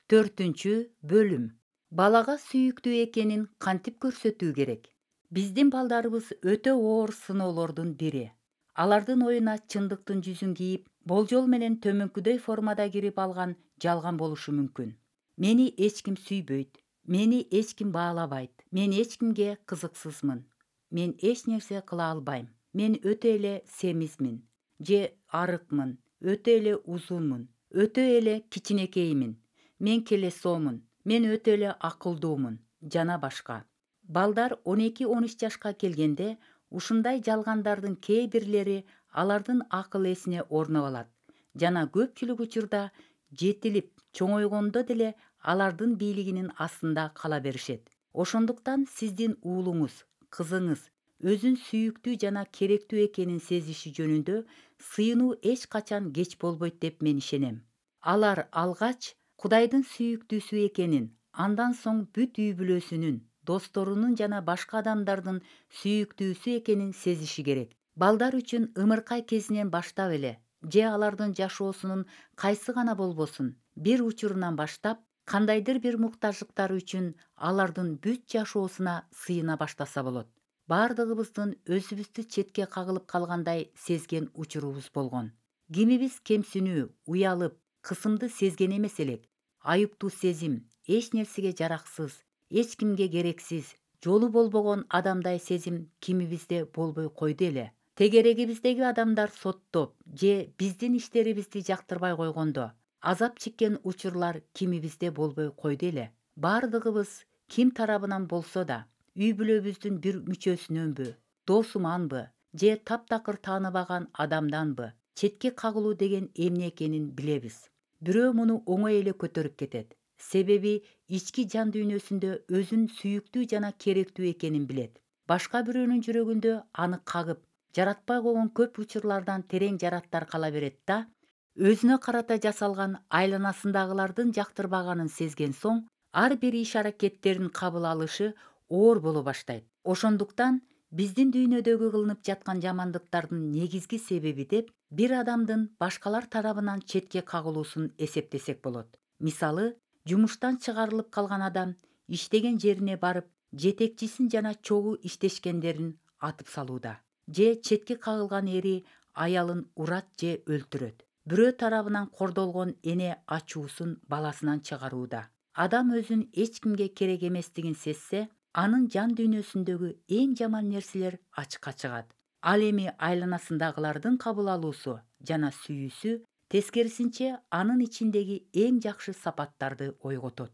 4 бөлүм. Балага сүйүктүү экенин кантип көрсөтүү керек? Биздин балдарыбыз өтө оор сыноолордун бири. Алардын оюна чындыктын жүзүн кийип, болжол менен төмөнкүдөй формада кирип алган жалган болушу мүмкүн. Мени эч ким сүйбөйт, мени эч ким баалабайт, мен эч кимге кызыксызмын, мен эч нерсе кыла албайм, мен өтө эле семизмин же арыкмын, өтө эле узунмун, өтө эле кичинекеймин, мен келесоомун, мен өтө эле акылдуумун жана башка. Балдар 12-13 жашка келгенде ушундай жалгандардын кээ бирлери алардын акыл эсине орноп алат жана көпчүлүк учурда жетилип чоңойгондо деле алардын бийлигинин астында кала беришет. Ошондуктан сиздин уулуңуз, кызыңыз өзүн сүйүктүү жана керектүү экенин сезиши жөнүндө сыйынуу эч качан кеч болбойт деп мен ишенем. Алар алгач Кудайдын сүйүктүүсү экенин, андан соң бүт үй бүлөсүнүн, досторунун жана башка адамдардын сүйүктүүсү экенин сезиши керек. Балдар үчүн ымыркай кезинен баштап эле же алардын жашоосунун кайсы гана болбосун бир учурунан баштап кандайдыр бир муктаждыктары үчүн алардын бүт жашоосуна сыйына баштаса болот. Бардыгыбыздын өзүбүздү четке кагылып калгандай сезген учурубуз болгон. Кимибиз кемсинүү, уялып, кысымды сезген эмес элек. Айыптуу сезим, эч нерсеге жараксыз, эч кимге керексиз, жолу болбогон адамдай сезим кимибизде болбой койду эле. Тегерегибиздеги адамдар соттоп же биздин иштерибизди жактырбай койгондо азап чеккен учурлар кимибизде болбой койду эле. Бардыгыбыз ким тарабынан болсо да үй бүлөбүздүн бир мүчөсүнөнбү, досуманбы же таптакыр тааныбаган адамданбы четке кагылуу деген эмне экенин билебиз. Бирөө муну оңой эле көтөрүп кетет. Себеби ички жан дүйнөсүндө өзүн сүйүктүү жана керектүү экенин билет. Башка бирөөнүн жүрөгүндө аны кагып, жаратпай койгон көп учурлардан терең жараттар кала берет да, өзүнө карата жасалган айланасындагылардын жактырбаганын сезген соң, ар бир иш-аракеттерин кабыл алышы оор боло баштайт. Ошондуктан биздин дүйнөдөгү кылынып жаткан жамандыктардын негизги себеби деп бир адамдын башкалар тарабынан четке кагылуусун эсептесек болот. Мисалы, жумуштан чыгарылып калган адам иштеген жерине барып, жетекчисин жана чогуу иштешкендерин атып салууда. Же четке кагылган эри аялын урат же өлтүрөт. Бирөө тарабынан кордолгон эне ачуусун баласынан чыгарууда. Адам өзүн эч кимге керек эместигин сезсе, анын жан дүйнөсүндөгү эң жаман нерселер ачыкка чыгат. Ал эми айланасындагылардын кабыл алуусу жана сүйүүсү тескерисинче анын ичиндеги эң жакшы сапаттарды ойготот.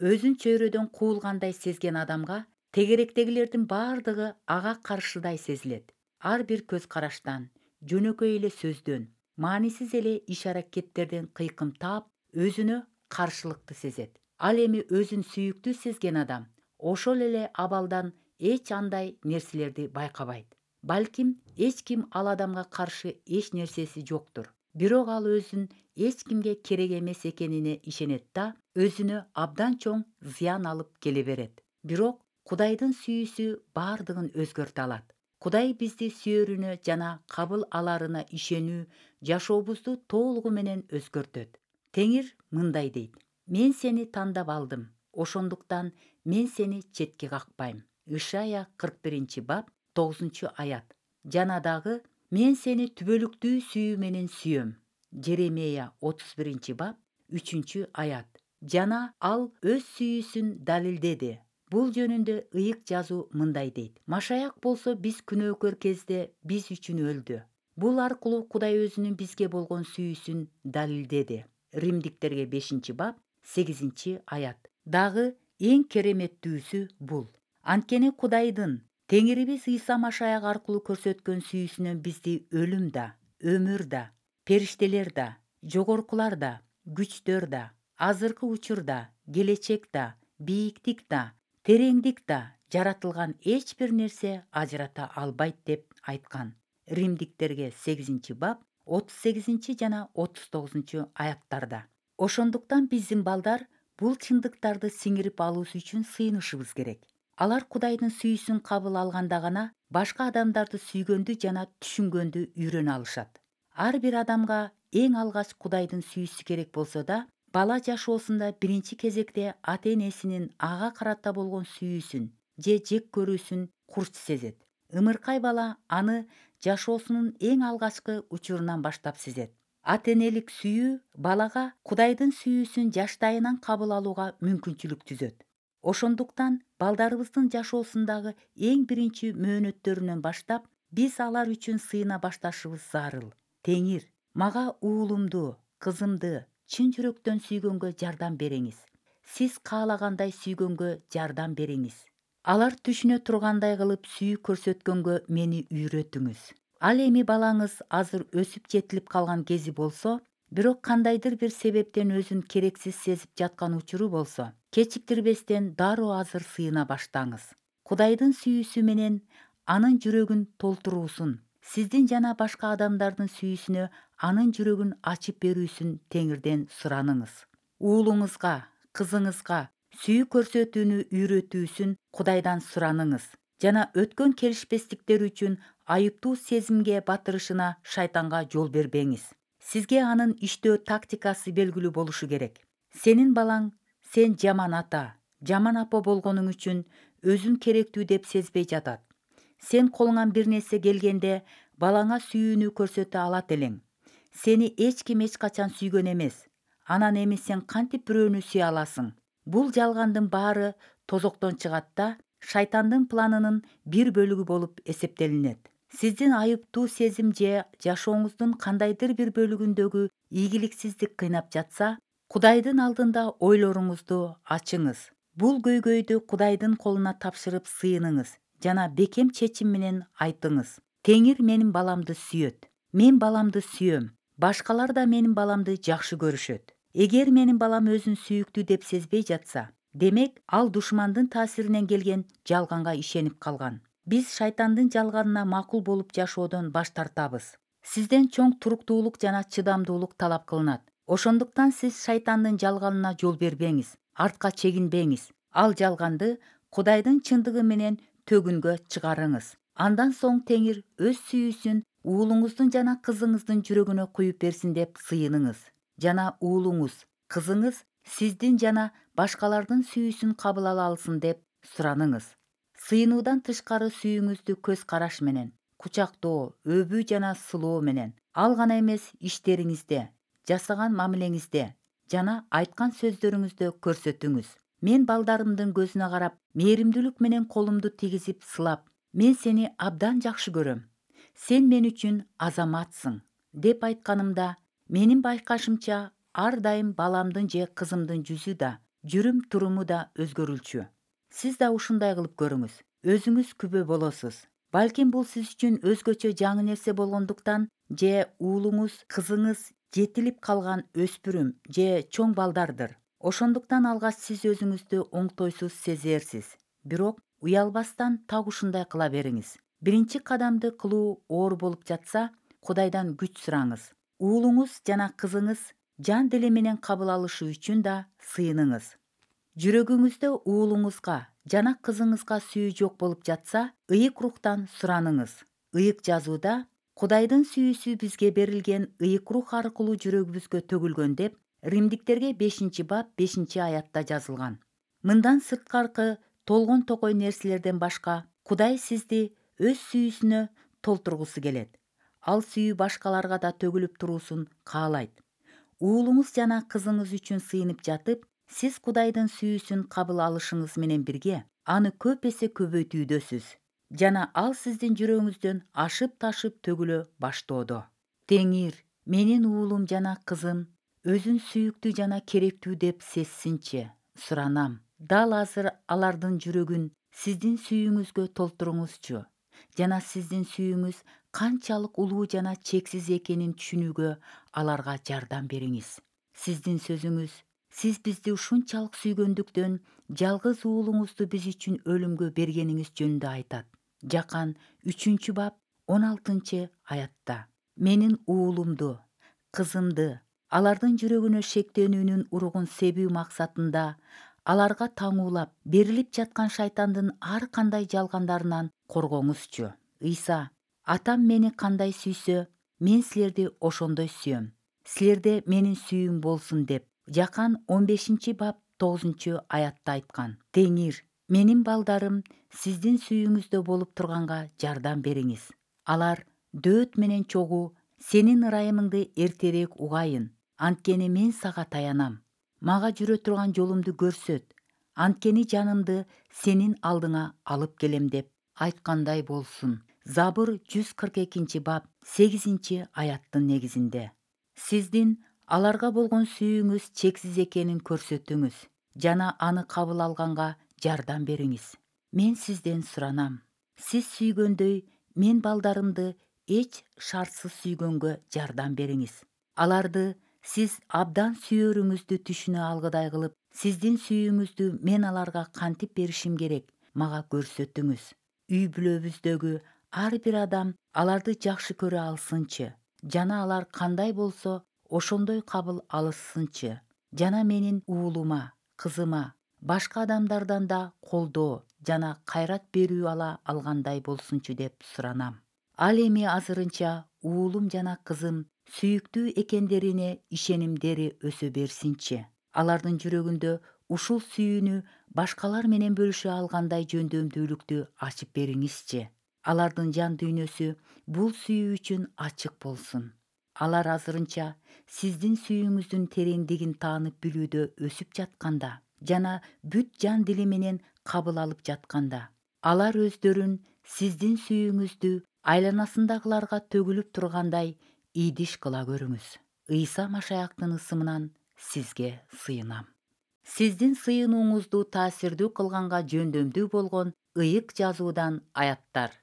Өзүн чөйрөдөн куулгандай сезген адамга тегеректегилердин бардыгы ага каршыдай сезилет. Ар бир көз караштан, жөнөкөй эле сөздөн, маанисиз эле иш-аракеттерден кыйкымтаап, өзүнө каршылыкты сезет. Ал эми өзүн сүйүктүү сезген адам ошол эле абалдан эч андай нерселерди байкабайт. Балким эч ким ал адамга каршы эч нерсеси жоктур. Бирок ал өзүн эч кимге керек эмес экенине ишенет да, өзүнө абдан чоң зыян алып келе берет. Бирок Кудайдын сүйүүсү бардыгын өзгөртө алат. Кудай бизди сүйөрүнө жана кабыл аларына ишенүү жашообузду толугу менен өзгөртөт. Теңир мындай дейт: мен сени тандап алдым, ошондуктан мен сени четке какпайм. Ишая 41-бап 9-аят. Жана дагы мен сени түбөлүктүү сүйүү менен сүйөм. Жеремия 31-бап 3-аят. Жана ал өз сүйүүсүн далилдеди. Бул жөнүндө ыйык жазуу мындай дейт: Машаяк болсо биз күнөөкөр кезде биз үчүн өлдү. Бул аркылуу Кудай өзүнүн бизге болгон сүйүүсүн далилдеди. Римдиктерге 5-бап 8-аят. Дагы эң кереметтүүсү бул. Анткени Кудайдын, Теңирибиз Ыйса Машаяк аркылуу көрсөткөн сүйүүсүнөн бизди өлүм да, өмүр да, периштелер да, жогоркулар да, күчтөр да, азыркы учур да, келечек да, бийиктик да, тереңдик да, жаратылган эч бир нерсе ажырата албайт деп айткан. Римдиктерге 8-бап 38 жана 39-аяттарда. Ошондуктан биздин балдар бул чындыктарды сиңирип алуусу үчүн сыйынышыбыз керек. Алар Кудайдын сүйүүсүн кабыл алганда гана башка адамдарды сүйгөндү жана түшүнгөндү үйрөнө алышат. Ар бир адамга эң алгач Кудайдын сүйүүсү керек болсо да, бала жашоосунда биринчи кезекте ата энесинин ага карата болгон сүйүүсүн же жек көрүүсүн курч сезет. Ымыркай бала аны жашоосунун эң алгачкы учурунан баштап сезет. Ата энелик сүйүү балага Кудайдын сүйүүсүн жаштайынан кабыл алууга мүмкүнчүлүк түзөт. Ошондуктан балдарыбыздын жашоосундагы эң биринчи мөөнөттөрүнөн баштап биз алар үчүн сыйына башташыбыз зарыл. Теңир, мага уулумду, кызымды чын жүрөктөн сүйгөнгө жардам бериңиз. Сиз каалагандай сүйгөнгө жардам бериңиз. Алар түшүнө тургандай кылып сүйүү көрсөткөнгө мени үйрөтүңүз. Ал эми балаңыз азыр өсүп жетилип калган кези болсо, бирок кандайдыр бир себептен өзүн керексиз сезип жаткан учуру болсо, кечиктирбестен дароо азыр сыйына баштаңыз. Кудайдын сүйүүсү менен анын жүрөгүн толтуруусун, сиздин жана башка адамдардын сүйүүсүнө анын жүрөгүн ачып берүүсүн Теңирден сураныңыз. Уулуңузга, кызыңызга сүйүү көрсөтүүнү үйрөтүүсүн Кудайдан сураныңыз жана өткөн келишпестиктер үчүн айыптуу сезимге батырышына шайтанга жол бербеңиз. Сизге анын иштөө тактикасы белгилүү болушу керек. Сенин балаң сен жаман ата, жаман апа болгонуң үчүн өзүн керектүү деп сезбей жатат. Сен колуңан бир нерсе келгенде балаңа сүйүүнү көрсөтө алат элең. Сени эч ким эч качан сүйгөн эмес. Анан эми сен кантип бирөөнү сүйө аласың? Бул жалгандын баары тозоктон чыгат да шайтандын планынын бир бөлүгү болуп эсептелинет. Сиздин айыптуу сезим же жашооңуздун кандайдыр бир бөлүгүндөгү ийгиликсиздик кыйнап жатса, Кудайдын алдында ойлоруңузду ачыңыз. Бул көйгөйдү Кудайдын колуна тапшырып сыйыныңыз жана бекем чечим менен айтыңыз. Теңир менин баламды сүйөт. Мен баламды сүйөм. Башкалар да менин баламды жакшы көрүшөт. Эгер менин балам өзүн сүйүктүү деп сезбей жатса, демек ал душмандын таасиринен келген жалганга ишенип калган. Биз шайтандын жалганына макул болуп жашоодон баш тартабыз. Сизден чоң туруктуулук жана чыдамдуулук талап кылынат. Ошондуктан сиз шайтандын жалганына жол бербеңиз, артка чегинбеңиз. Ал жалганды Кудайдын чындыгы менен төгүнгө чыгарыңыз. Андан соң Теңир өз сүйүүсүн уулуңуздун жана кызыңыздын жүрөгүнө куюп берсин деп сыйыныңыз. Жана уулуңуз, кызыңыз сиздин жана башкалардын сүйүүсүн кабыл ала алсын деп сураныңыз. Сыйынуудан тышкары сүйүүңүздү көз караш менен, кучактоо, өбүү жана сылоо менен, ал гана эмес иштериңизде, жасаган мамилеңизде жана айткан сөздөрүңүздө көрсөтүңүз. Мен балдарымдын көзүнө карап, мээримдүүлүк менен колумду тийгизип сылап, мен сени абдан жакшы көрөм. Сен мен үчүн азаматсың деп айтканымда, менин байкашымча ар дайым баламдын же кызымдын жүзү да, жүрүм-туруму да өзгөрүлчү. Сиз да ушундай кылып көрүңүз. Өзүңүз күбө болосуз. Балким бул сиз үчүн өзгөчө жаңы нерсе болгондуктан же уулуңуз, кызыңыз жетилип калган өспүрүм же чоң балдардыр. Ошондуктан алгач сиз өзүңүздү оңтойсуз сезерсиз. Бирок уялбастан так ушундай кыла бериңиз. Биринчи кадамды кылуу оор болуп жатса, Кудайдан күч сураңыз. Уулуңуз жана кызыңыз жан дили менен кабыл алышы үчүн да сыйыныңыз. Жүрөгүңүздө уулуңузга жана кызыңызга сүйүү жок болуп жатса, ыйык рухтан сураныңыз. Ыйык жазууда Кудайдын сүйүүсү бизге берилген ыйык рух аркылуу жүрөгүбүзгө төгүлгөн деп Римдиктерге 5-бап 5-аятта жазылган. Мындан сырткаркы толгон токой нерселерден башка Кудай сизди өз сүйүүсүнө толтургусу келет. Ал сүйүү башкаларга да төгүлүп туруусун каалайт. Уулуңуз жана кызыңыз үчүн сыйынып жатып, сиз Кудайдын сүйүүсүн кабыл алышыңыз менен бирге аны көп эсе көбөйтүүдөсүз жана ал сиздин жүрөгүңүздөн ашып-ташып төгүлө баштоодо. Теңир, менин уулум жана кызым өзүн сүйүктүү жана керектүү деп сезсинчи, суранам. Дал азыр алардын жүрөгүн сиздин сүйүүңүзгө толтуруңузчу жана сиздин сүйүүңүз канчалык улуу жана чексиз экенин түшүнүүгө аларга жардам бериңиз. Сиздин сөзүңүз, сиз бизди ушунчалык сүйгөндүктөн жалгыз уулуңузду биз үчүн өлүмгө бергениңиз жөнүндө айтат. Жакан 3-бап 16-аятта. Менин уулумду, кызымды алардын жүрөгүнө шектенүүнүн уругун себүү максатында аларга таңуулап берилип жаткан шайтандын ар кандай жалгандарынан коргоңузчу. Ыйса, атам мени кандай сүйсө, мен силерди ошондой сүйөм. Силерде менин сүйүүм болсун деп Жакан 15-бап 9-аятта айткан: Теңир, менин балдарым, сиздин сүйүүңүздө болуп турганга жардам бериңиз. Алар дөөт менен чогуу сенин ырайымыңды эртерээк угайын, анткени мен сага таянам. Мага жүрө турган жолумду көрсөт, анткени жанымды сенин алдыңа алып келем деп айткандай болсун. Забыр 142-бап 8-аяттын негизинде. Сиздин аларга болгон сүйүүңүз чексиз экенин көрсөтүңүз жана аны кабыл алганга жардам бериңиз. Мен сизден суранам. Сиз сүйгөндөй мен балдарымды эч шартсыз сүйгөнгө жардам бериңиз. Аларды сиз абдан сүйөрүңүздү түшүнө алгыдай кылып, сиздин сүйүүңүздү мен аларга кантип беришим керек, мага көрсөтүңүз. Үй бүлөбүздөгү ар бир адам аларды жакшы көрө алсынчы жана алар кандай болсо ошондой кабыл алышсынчы жана менин уулума, кызыма башка адамдардан да колдоо жана кайрат берүү ала алгандай болсунчу деп суранам. Ал эми азырынча уулум жана кызым сүйүктүү экендерине ишенимдери өсө берсинчи. Алардын жүрөгүндө ушул сүйүүнү башкалар менен бөлүшө алгандай жөндөмдүүлүктү ачып бериңизчи. Алардын жан дүйнөсү бул сүйүү үчүн ачык болсун. Алар азырынча сиздин сүйүүңүздүн тереңдигин таанып билүүдө өсүп жатканда жана бүт жан дили менен кабыл алып жатканда, алар өздөрүн сиздин сүйүүңүздү айланасындагыларга төгүлүп тургандай ийдиш кыла көрүңүз. Ыйса Машаяктын ысымынан сизге сыйынам. Сиздин сыйынууңузду таасирдүү кылганга жөндөмдүү болгон ыйык жазуудан аяттар.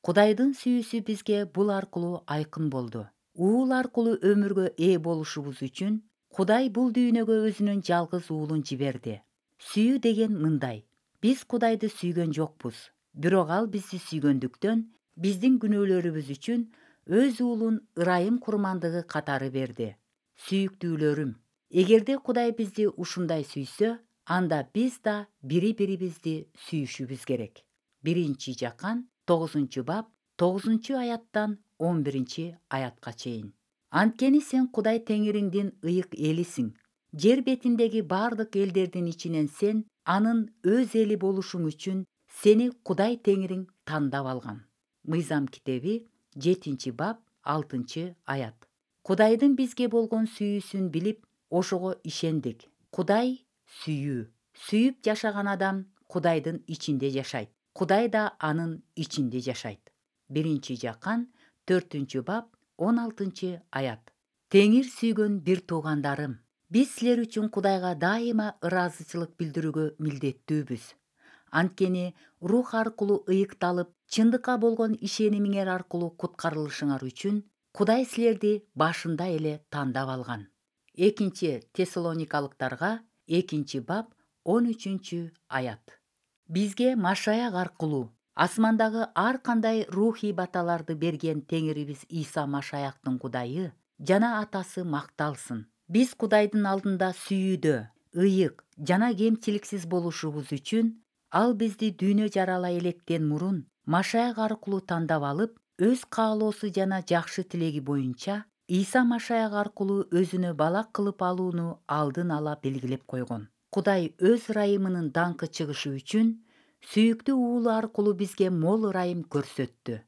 Кудайдын сүйүүсү бизге бул аркылуу айкын болду. Уул аркылуу өмүргө ээ болушубуз үчүн Кудай бул дүйнөгө өзүнүн жалгыз уулун жиберди. Сүйүү деген мындай: биз Кудайды сүйгөн жокпуз, бирок ал бизди сүйгөндүктөн биздин күнөөлөрүбүз үчүн өз уулун ырайым курмандыгы катары берди. Сүйүктүүлөрүм, эгерде Кудай бизди ушундай сүйсө, анда биз да бири-бирибизди сүйүшүбүз керек. 1-Жакан 9-бап 9-аяттан 11-аятка чейин. Анткени сен Кудай Теңириңдин ыйык элисиң. Жер бетиндеги бардык элдердин ичинен сен анын өз эли болушуң үчүн сени Кудай Теңириң тандап алган. Мыйзам китеби 7-бап 6-аят. Кудайдын бизге болгон сүйүүсүн билип, ошого ишендик. Кудай сүйүү. Сүйүп жашаган адам Кудайдын ичинде жашайт. Кудай да анын ичинде жашайт. 1-Жакан 4-бап 16-аят. Теңир сүйгөн бир туугандарым, биз силер үчүн Кудайга дайыма ыраазычылык билдирүүгө милдеттүүбүз. Анткени рух аркылуу ыйыкталып, чындыкка болгон ишенимиңер аркылуу куткарылышыңар үчүн Кудай силерди башында эле тандап алган. 2-Тессалоникалыктарга 2-бап 13-аят. Бизге Машаяк аркылуу асмандагы ар кандай рухий баталарды берген Теңирибиз Иса Машаяктын Кудайы жана Атасы макталсын. Биз Кудайдын алдында сүйүүдө, ыйык жана кемчиликсиз болушубуз үчүн ал бизди дүйнө жарала электен мурун Машаяк аркылуу тандап алып, өз каалоосу жана жакшы тилеги боюнча Иса Машаяк аркылуу өзүнө бала кылып алууну алдын ала белгилеп койгон. Кудай өз ырайымынын даңкы чыгышы үчүн сүйүктүү уулу аркылуу бизге мол ырайым көрсөттү.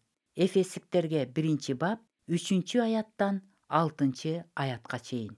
Эфесиктерге 1-бап 3-аяттан 6-аятка чейин.